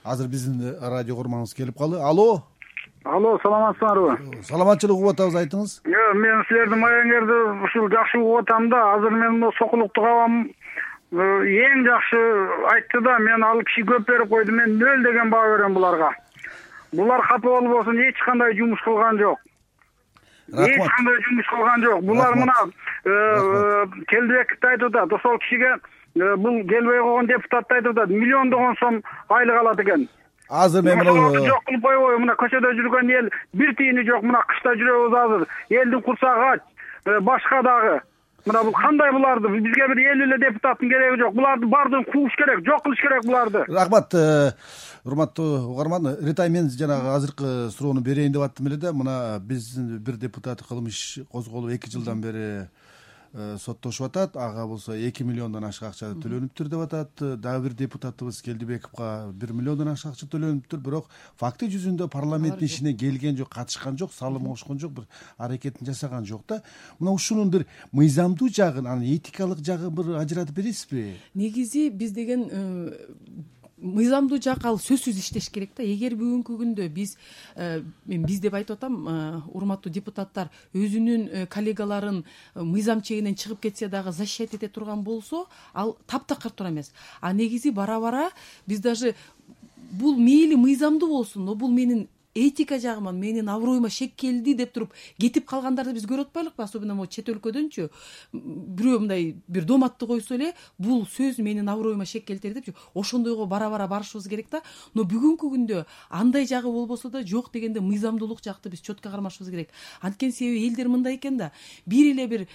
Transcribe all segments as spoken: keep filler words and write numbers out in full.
азыр биздин радио курманыбыз келип калды. Алло. Алло, саламатсыңарбы? Саламатчылык угуп атабыз, айтыңыз. Мен силердин маегиңерди ушул жакшы угуп атам да, азыр мен мына Сокулуктук абам эң жакшы айтты да, мен ал киши көп берип койду, мен нөл деген баа берем буларга. Булар капа болбосун, эч кандай жумуш кылган жок. Эч кандай жумуш кылган жок. Булар мына Келдибековду айтып атат, ошол кишиге бул келбей койгон депутатты айтып атат, миллиондогон сом айлык алат экен. Азыр мен мына жок кылып койбойбу, мына көчөдө жүргөн эл бир тиини жок, мына кышта жүрөбүз азыр. Элдин курсагы ач, башка дагы. Мына бул кандай буларды? Бизге бир элүү эле депутаттын кереги жок. Буларды баардыгын кууш керек, жок кылыш керек буларды. Рахмат, урматтуу угарман. Ритай, мен жанагы азыркы суроону берейин деп аттым эле да, мына биздин бир депутат кылмыш козголуп эки жылдан бери соттошуп атат. Ага болсо эки миллиондон ашык акча төлөнүптүр деп атат. Дагы бир депутатыбыз Келдибековго бир миллиондон ашык акча төлөнүптүр, бирок факты жүзүндө парламенттин ишине келген жок, катышкан жок, салым кошкон жок, бир аракетин жасаган жок да. Мына ушунун бир мыйзамдуу жагын, анан этикалык жагын бир ажыратып бересизби? Негизи биз деген мыйзамдуу жак ал сөзсүз иштеш керек да. Эгер бүгүнкү күндө биз мен биз деп айтып атам, урматтуу депутаттар өзүнүн коллегаларын мыйзам чегинен чыгып кетсе дагы защищать эте турган болсо, ал таптакыр туура эмес. А негизи бара бара биз даже бул мейли мыйзамдуу болсун, но бул менин этика жагыма, менин аброюма шек келди деп туруп кетип калгандарды биз көрүп атпайлыкпы? Особенно могу чет өлкөдөнчү бирөө мындай бир доматты койсо эле, бул сөз менин аброюма шек келтири депчи, ошондойго бара-бара барышыбыз керек да. Но бүгүнкү күндө андай жагы болбосо да, жок дегенде мыйзамдуулук жакты биз четко кармашыбыз керек. Анткени себеби элдер мындай экен да, бир эле бир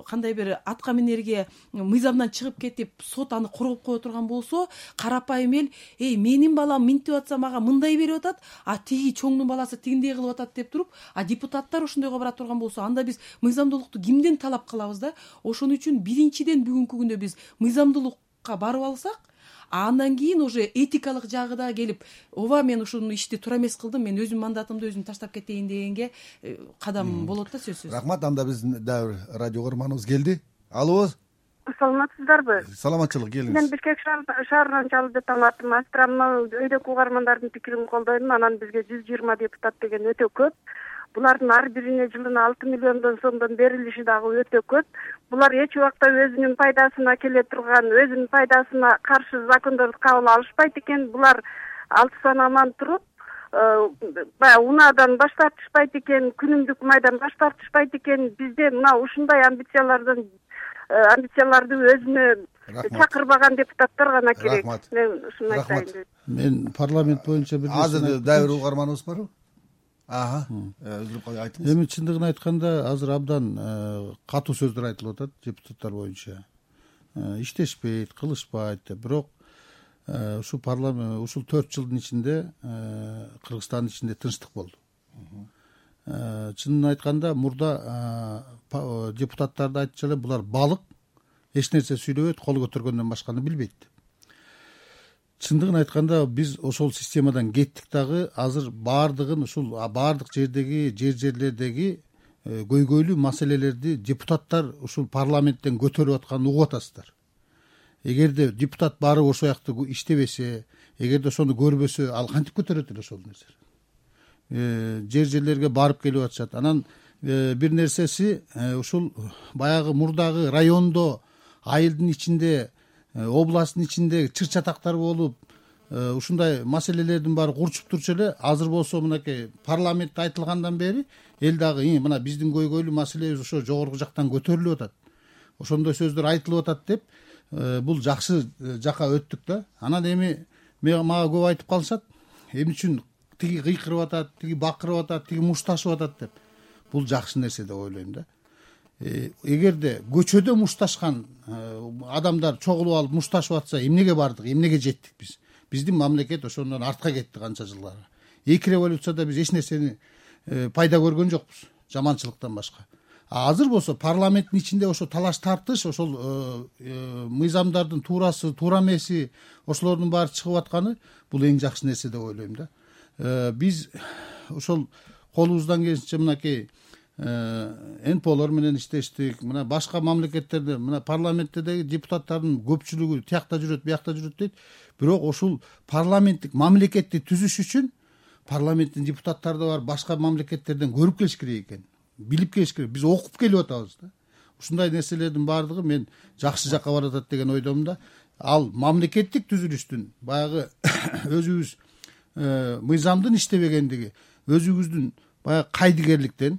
кандай бир атка минерге мыйзамдан чыгып кетип, сот аны коргоп кое турган болсо, карапайым эл, эй, менин балам минтип атса мага мындай берип атат, а тиги чоңдун баласы тигиндей кылып атат деп туруп, а депутаттар ошондойго бара турган болсо, анда биз мыйзамдуулукту кимден талап кылабыз да? Ошон үчүн биринчиден бүгүнкү күндө биз мыйзамдуулукка барып алсак, андан кийин уже этикалык жагы да келип, ооба мен ушул ишти туура эмес кылдым, мен өзүм мандатымды өзүм таштап кетейин дегенге кадам болот да, сөзсүз. Рахмат, анда биздин дагы радио көрманыбыз келди. Алло. Саламатсыздарбы? Саламатчылык, келиңиз. Мен Бишкек шаарынан чалып жатам, атым Астрамна. Өйдөгү угармандардын пикирин колдойм. Анан бизге жүз жыйырма депутат деген өтө көп. Булардын ар бирине жылына алты миллиондон сомдон берилиши дагы өтө көп. Булар эч убакта өзүнүн пайдасына келе турган, өзүнүн пайдасына каршы закондорду кабыл алышпайт экен. Булар алты санаман туруп, баягы унаадан баш тартышпайт экен, күнүмдүк майдан баш тартышпайт экен. Бизде мына ушундай амбициялардан амбицияларды өзүнө чакырбаган депутаттар гана керек. Мен ушуну айтайын дедим. Мен парламент боюнча бир азыр дагы бир угарманыбыз барбы? Ага, өзүп калып айтыңыз. Эми чындыгын айтканда азыр абдан катуу сөздөр айтылып атат депутаттар боюнча. Иштешпейт, кылышпайт деп. Бирок ушул парламент ушул төрт жылдын ичинде Кыргызстандын ичинде тынчтык болду. Чынын айтканда мурда депутаттарды айтчу эле, булар балык, эч нерсе сүйлөбөйт, кол көтөргөндөн башканы билбейт. Чындыгын айтканда биз ошол системадан кеттик дагы, азыр баардыгын ушул баардык жердеги, жер жерлердеги көйгөйлүү маселелерди депутаттар ушул парламенттен көтөрүп атканын угуп атасыздар. Эгерде депутат барып ошол жакты иштебесе, эгерде ошону көрбөсө, ал кантип көтөрөт эле ошол нерсени? Жер жерлерге барып келип атышат. Анан бир нерсеси, ушул баягы мурдагы райондо, айылдын ичинде, областтын ичинде чыр-чатактар болуп, ушундай маселелердин баары курчуп турчу эле, азыр болсо мынакей парламентте айтылгандан бери эл дагы мына биздин көйгөйлүү маселебиз ошо жогорку жактан көтөрүлүп атат, ошондой сөздөр айтылып атат деп, бул жакшы жака өттүк да. Анан эми мага көп айтып калышат, эмне үчүн тиги кыйкырып атат, тиги бакырып атат, тиги мушташып атат деп. Бул жакшы нерсе деп ойлойм да. Эгерде көчөдө мушташкан адамдар чогулуп алып мушташып атса, эмнеге бардык, эмнеге жеттик биз? Биздин мамлекет ошондон артка кетти канча жылдарга. Эки революцияда биз эч нерсени пайда көргөн жокпуз, жаманчылыктан башка. А азыр болсо парламенттин ичинде ошо талаш тартыш, ошол мыйзамдардын туурасы, туура эмеси, ошолордун баары чыгып атканы бул эң жакшы нерсе деп ойлойм да. Биз ошол колубуздан келишинче мынакей нполор менен иштештик. Мына башка мамлекеттерде мына парламенттеги депутаттардын көпчүлүгү тиякта жүрөт, биякта жүрөт дейт. Бирок ушул парламенттик мамлекетти түзүш үчүн парламенттин депутаттары да бар, башка мамлекеттерден көрүп келиш керек экен, билип келиш керек. Биз окуп келип атабыз да. Ушундай нерселердин баардыгы мен жакшы жакка баратат деген ойдомун да. Ал мамлекеттик түзүлүштүн баягы өзүбүз мыйзамдын иштебегендиги, өзүбүздүн баягы кайдыгерликтен,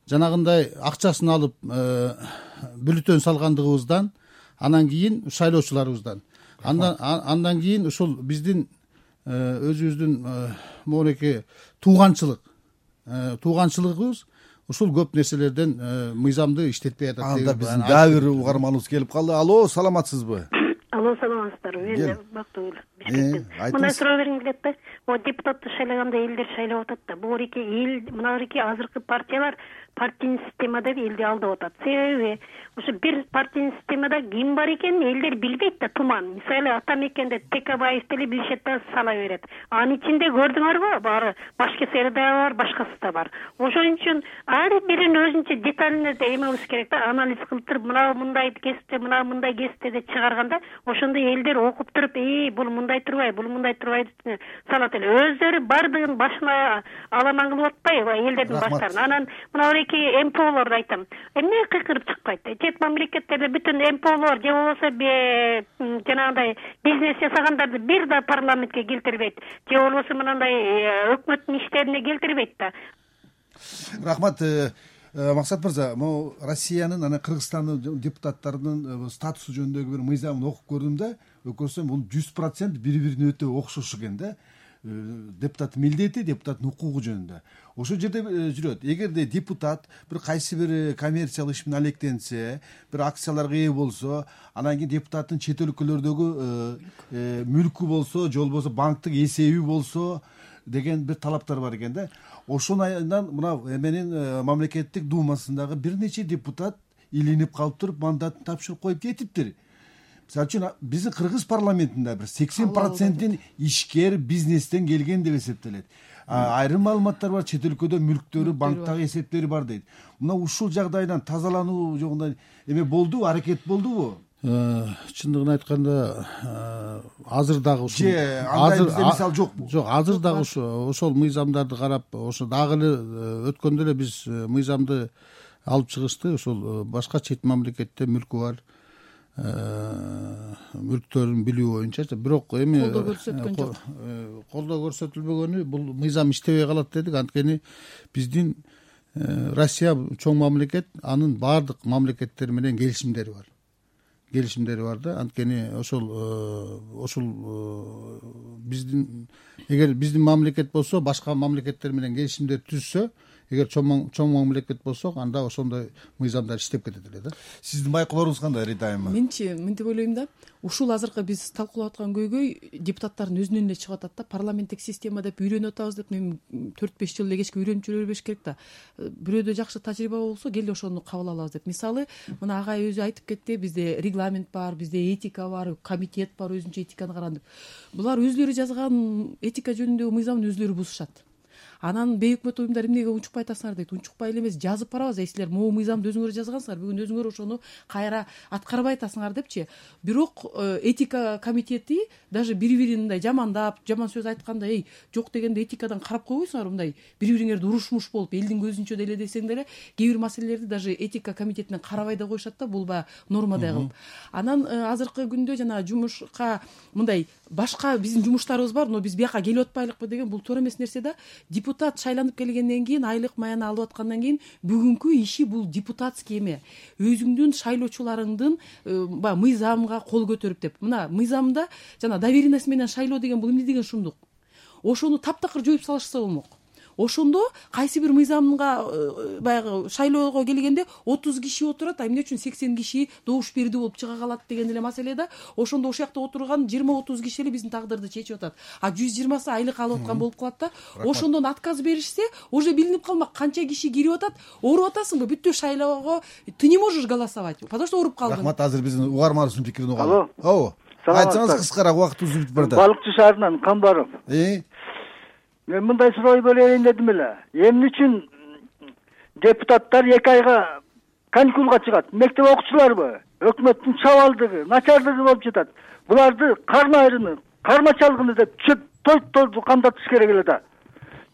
жанагындай акчасын алып бюллетень салгандыгыбыздан, анан кийин шайлоочуларыбыздан, андан андан кийин ушул биздин өзүбүздүн монеки тууганчылык тууганчылыгыбыз ушул көп нерселерден мыйзамды иштетпей атат. Анда биздин дагы бир угарманыбыз келип калды. Алло, саламатсызбы? Алло, саламатсыздарбы? Мен Бактыгүл Бишкектен. Мына суроо бергим келет да. Могу депутатты шайлаганда элдер шайлап атат да. Бугуреки эл, мынагыреки азыркы партиялар партийный системада элди алдап атат. Себеби ошо бир партийный системада ким бар экенин элдер билбейт да, туман. Мисалы Атамекенде Текебаев деле билишет да, сала берет. Анын ичинде көрдүңөрбү? Баары башка сферада бар, башкасы да бар. Ошон үчүн ар бирин өзүнчө деталине эмебиз керек да, анализ кылып туруп, мына мындай кесипте, мына мындай кесипте деп чыгарганда, ошондо элдер окуп туруп, "Эй, бул мындай турбай, бул мындай турбай" деп салат эле. Өздөрү бардыгын башына аламан кылып атпайбы элдердин баштарын. Анан мына нполорду айтам. Эмне кыйкырып чыкпайт? Чет мамлекеттерде бүтүн нполор же болбосо жанагындай бизнес жасагандарды бир да парламентке келтирбейт. Же болбосо мындай өкмөттүн иштерине келтирбейт да. Рахмат. Максат мырза, могу Россиянын анан Кыргызстандын депутаттарынын статусу жөнүндөгү бир мыйзамын окуп көрдүм да, көрсөм бул жүз процент бири-бирине өтө окшош экен да. Депутаттын милдети, депутаттын укугу жөнүндө. Ошол жерде жүрөт. Эгерде депутат бир кайсы бир коммерциялык иш менен алектенсе, бир акцияларга ээ болсо, анан кийин депутаттын чет өлкөлөрдөгү мүлкү болсо, же болбосо банктык эсеби болсо деген бир талаптар бар экен да. Ошондон мына эменин мамлекеттик думасындагы бир нече депутат илинип калып туруп мандатын тапшырып коюп кетиптир. Мисалы үчүн биздин Кыргыз парламентинде бир сексен процентин ишкер бизнестен келген деп эсептелет. Айрым маалыматтар бар, чет өлкөдө мүлктөрү, банктагы эсептери бар дейт. Мына ушул жагдайдан тазалануу жогунда эме болдубу, аракет болдубу? Чындыгын айтканда, азыр дагы ушул азыр мисал жокпу? Жок, азыр дагы ошол мыйзамдарды карап, ошо дагы эле өткөндө эле биз мыйзамды алып чыгышты. Ошол башка чет мамлекетте мүлкү бар мүлктөрүн билүү боюнча, бирок эми колдоо көрсөткөн жок. Колдоо көрсөтүлбөгөнү, бул мыйзам иштебей калат дедик. Анткени биздин Россия чоң мамлекет, анын баардык мамлекеттер менен келишимдери бар. Келишимдери бар да. Анткени ошол ошол биздин эгер биздин мамлекет болсо, башка мамлекеттер менен келишимдер түзсө, эгер чоң чоң мамлекет болсок, анда ошондой мыйзамдар иштеп кетет эле да. Сиздин байкоолоруңуз кандай, Рита айым? Менчи мынтип ойлойм да, ушул азыркы биз талкуулап аткан көйгөй депутаттардын өзүнөн эле чыгып атат да. Парламенттик система деп үйрөнүп атабыз деп, мен төрт беш жыл эле кечке үйрөнүп жүрө бербеш керек да. Бирөөдө жакшы тажрыйба болсо, келе ошону кабыл алабыз деп. Мисалы, мына агай өзү айтып кетти, бизде регламент бар, бизде этика бар, комитет бар, өзүнчө этиканы караган деп. Булар өзүлөрү жазган этика жөнүндөгү мыйзамды өзүлөрү бузушат. Анан бейөкмөт уюмдар эмнеге унчукпай атасыңар дейт. Унчукпай эле эмес, жазып барабыз. Силер могу мыйзамды өзүңөр жазгансыңар, бүгүн өзүңөр ошону кайра аткарбай атасыңар депчи. Бирок этика комитети даже бири-бирин мындай жамандап, жаман сөз айтканда, эй, жок дегенде этикадан карап койбойсуңар, мындай бири-бириңерди урушмуш болуп, элдин көзүнчө деле десең деле, кээ бир маселелерди даже этика комитетинен карабай да коюшат да, бул баягы нормадай кылып. Анан азыркы күндө жана жумушка мындай башка биздин жумуштарыбыз бар, но биз бияка келип атпайлыкпы деген бул туура эмес нерсе да. Депутат шайланып келгенден кийин, айлык маяны алып аткандан кийин бүгүнкү иши бул депутатский эме. Өзүңдүн шайлоочуларыңдын баягы мыйзамга кол көтөрүп деп. Мына мыйзамда жана доверенность менен шайлоо деген бул эмне деген шумдук. Ошону таптакыр жоюп салышса болмок. Ошондо кайсы бир мыйзамга баягы шайлоого келгенде отуз киши отурат, а эмне үчүн сексен киши добуш берди болуп чыга калат деген эле маселе да. Ошондо ошол жакта отурган жыйырма отуз киши эле биздин тагдырды чечип атат. А жүз жыйырмасы айлык алып аткан болуп калат да. Ошондон отказ беришсе, уже билинип калмак канча киши кирип атат. Ооруп атасыңбы? Бүттү шайлоого ты не можешь голосовать, потому что ооруп калдың. Рахмат, азыр биздин угарманыбыздын пикирин угалы. Алло. Ооба. Айтсаңыз кыскараак, убактыбыз бүтүп баратат. Балыкчы шаарынан Камбаров. Э? Мен мындай суроо берейин дедим эле. Эмне үчүн депутаттар эки айга каникулга чыгат. Мектеп окуучуларбы, өкмөттүн чабалдыгы, начардыгы болуп жатат. Буларды карма айрымы, кармачалыгыны деп той камдатыш керек эле да.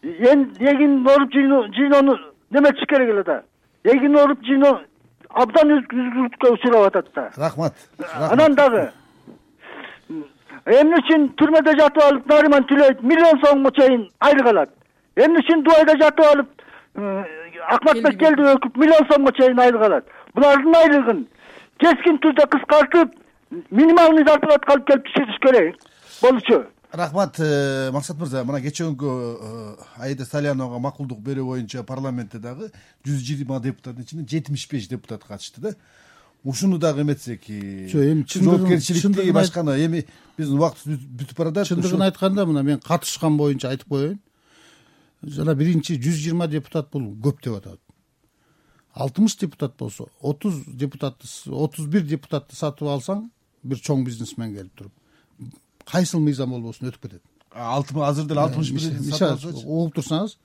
Эгин оруп жыйноону неметиш керек эле да. Эгин оруп жыйноо абдан үзгүлтүккө учурап атат да. Рахмат. Анан дагы эмне үчүн түрмөдө жатып алып Нариман Түлөев миллион сомго чейин айлык алат? Эмне үчүн Дубайда жатып алып Акматбек келди өкүп миллион сомго чейин айлык алат? Булардын айлыгын кескин түрдө кыскартып, минималдуу зарплатка алып келип түшүрүш керек болчу. Рахмат, Максат мырза. Мына кечээкү Аида Саляновага макулдук берүү боюнча парламентте дагы жүз жыйырма депутаттын ичинен жетимиш беш депутат катышты да. Ушуну дагы эметсек, жоопкерчиликти башканы эми биздин убактыбыз бүтүп баратат. Чындыгын айтканда, мына мен катышкан боюнча айтып коеюн. Жана биринчи жүз жыйырма депутат бул көп деп атат. алтымыш депутат болсо, отуз депутатты, отуз бир депутатты сатып алсаң, бир чоң бизнесмен келип туруп, кайсыл мыйзам болбосун өтүп кетет. Азыр деле алтымыш бир мисалы угуп турсаңыз,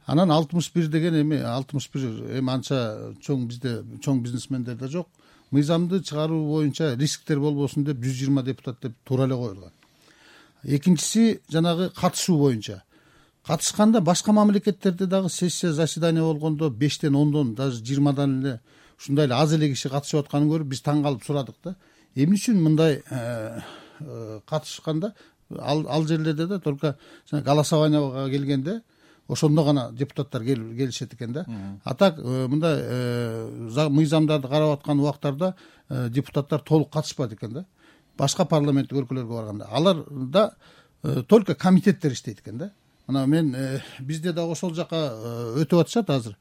анан алтымыш бир деген эми алтымыш бир эми анча чоң бизде чоң бизнесмендер да жок. Мыйзамды чыгаруу боюнча рисктер болбосун деп жүз жыйырма депутат деп туура эле коюлган. Экинчиси жанагы катышуу боюнча. Катышканда башка мамлекеттерде дагы сессия заседание болгондо бештен ондон даже жыйырмадан эле ушундай эле аз эле киши катышып атканын көрүп биз таң калып сурадык да. Эмне үчүн мындай катышканда ал ал жерлерде да только голосованияга келгенде ошондо гана депутаттар келишет экен да. А так мындай мыйзамдарды карап аткан убактарда депутаттар толук катышпайт экен да. Башка парламенттик өлкөлөргө барганда аларда только комитеттер иштейт экен да. Мына мен бизде дагы ошол жака өтүп атышат азыр.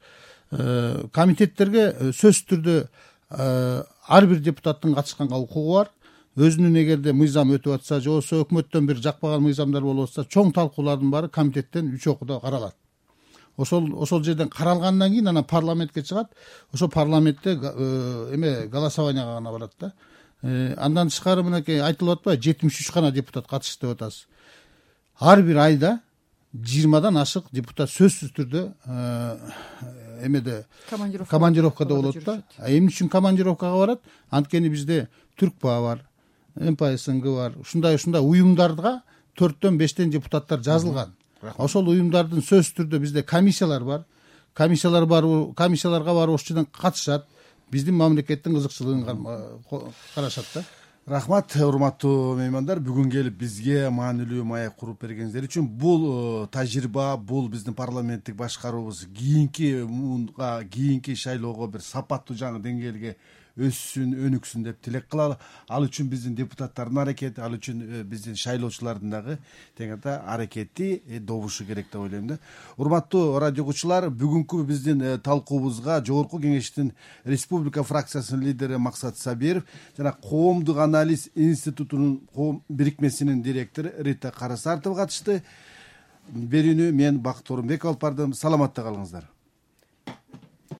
Комитеттерге сөзсүз түрдө ар бир депутаттын катышканга укугу бар. Өзүнүн эгерде мыйзам өтүп атса же болбосо өкмөттөн бир жакпаган мыйзамдар болуп атса, чоң талкуулардын баары комитеттен үч окууда каралат. Ошол ошол жерден каралгандан кийин анан парламентке чыгат. Ошо парламентте эме голосованияга гана барат да. Андан тышкары мынакей айтылып атпайбы, жетимиш үч гана депутат катышты деп атасыз. Ар бир айда жыйырмадан ашык депутат сөзсүз түрдө эмеде командировкада болот да. Эмне үчүн командировкага барат? Анткени бизде Түркпа бар, эм пэ эс эн гэ бар. Ушундай ушундай уюмдарга төрттөн бештен депутаттар жазылган. Ошол уюмдардын сөзсүз түрдө бизде комиссиялар бар. Комиссиялар бар, комиссияларга барып ошол жерден катышат. Биздин мамлекеттин кызыкчылыгын карашат да. Рахмат, урматтуу меймандар, бүгүн келип бизге маанилүү маек куруп бергениңиздер үчүн. Бул тажрыйба, бул биздин парламенттик башкаруубуз кийинки муунга, кийинки шайлоого бир сапаттуу жаңы деңгээлге өссүн, өнүксүн деп тилек кылалы. Ал үчүн биздин депутаттардын аракети, ал үчүн биздин шайлоочулардын дагы тең ата аракети добушу керек деп ойлойм да. Урматтуу радио угуучулар, бүгүнкү биздин талкуубузга Жогорку Кеңештин Республика фракциясынын лидери Максат Сабиров жана Коомдук анализ институтунун коом бирикмесинин директору Рита Карасартова катышты. Берүүнү мен Бакыт Орунбеков алып бардым. Саламатта калыңыздар.